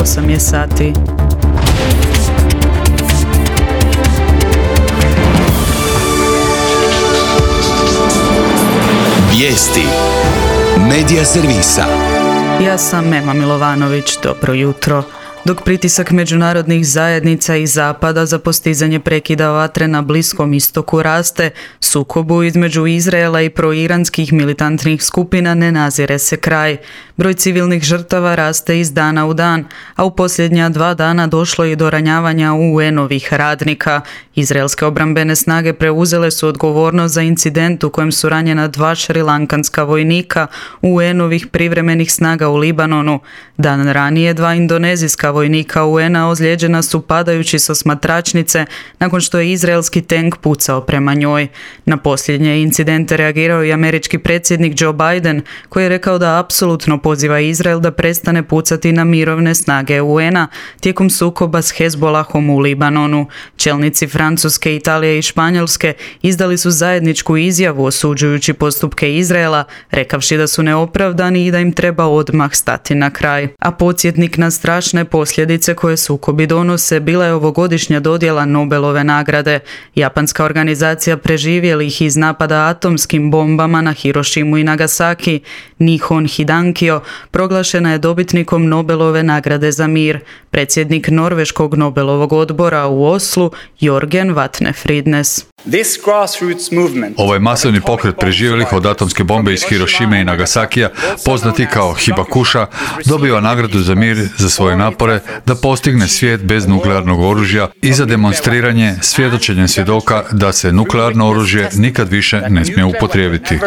8 je sati. Vijesti Medija servisa. Ja sam Ema Milovanović, dobro jutro. Dok pritisak međunarodnih zajednica i Zapada za postizanje prekida vatre na Bliskom istoku raste, sukobu između Izraela i proiranskih militantnih skupina ne nazire se kraj. Broj civilnih žrtava raste iz dana u dan, a u posljednja 2 dana došlo je do ranjavanja UN-ovih radnika. Izraelske obrambene snage preuzele su odgovornost za incident u kojem su ranjena 2 šrilankanska vojnika UN-ovih privremenih snaga u Libanonu. Dan ranije 2 indonezijska vojnika UN-a ozlijeđena su padajući sa osmatračnice nakon što je izraelski tank pucao prema njoj. Na posljednje incidente reagirao i američki predsjednik Joe Biden, koji je rekao da apsolutno poziva Izrael da prestane pucati na mirovne snage UN-a tijekom sukoba s Hezbolahom u Libanonu. Čelnici Francuske, Italije i Španjolske izdali su zajedničku izjavu osuđujući postupke Izraela, rekavši da su neopravdani i da im treba odmah stati na kraj. A podsjetnik na strašne posljedice koje sukobi donose bila je ovogodišnja dodjela Nobelove nagrade. Japanska organizacija preživjelih iz napada atomskim bombama na Hirošimu i Nagasaki, Nihon Hidankyo, proglašena je dobitnikom Nobelove nagrade za mir. Predsjednik Norveškog Nobelovog odbora u Oslu, Jorgen Vatne-Fridnes. Ovaj masovni pokret preživjelih od atomske bombe iz Hirošime i Nagasakija, poznati kao Hibakusha, dobiva nagradu za mir za svoje napore da postigne svijet bez nuklearnog oružja i za demonstriranje svjedočenjem svjedoka da se nuklearno oružje nikad više ne smije upotrijebiti.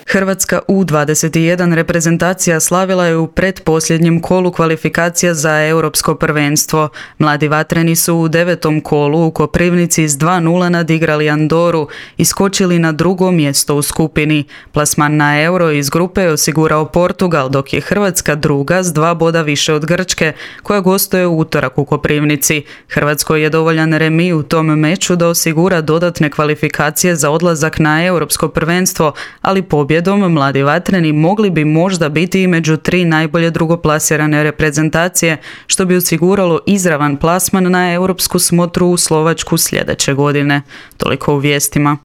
Hrvatska U21 reprezentacija slavila je u pretposljednjem kolu kvalifikacija za europsko prvenstvo. Mladi vatreni su u 9. kolu u Koprivnici s 2:0 nadigrali Andoru i skočili na 2. mjesto u skupini. Plasman na Euro iz grupe je osigurao Portugal, dok je Hrvatska druga s 2 boda više od Grčke, koja gostuje u utorak u Koprivnici. Hrvatskoj je dovoljan remi u tom meču da osigura dodatne kvalifikacije za odlazak na europsko prvenstvo, ali pobjedom mladi vatreni mogli bi možda biti i među 3 najbolje drugoplasirane reprezentacije, što bi osiguralo izravan plasman na europsku smotru u Slovačku sljedeće godine. Toliko u vijestima.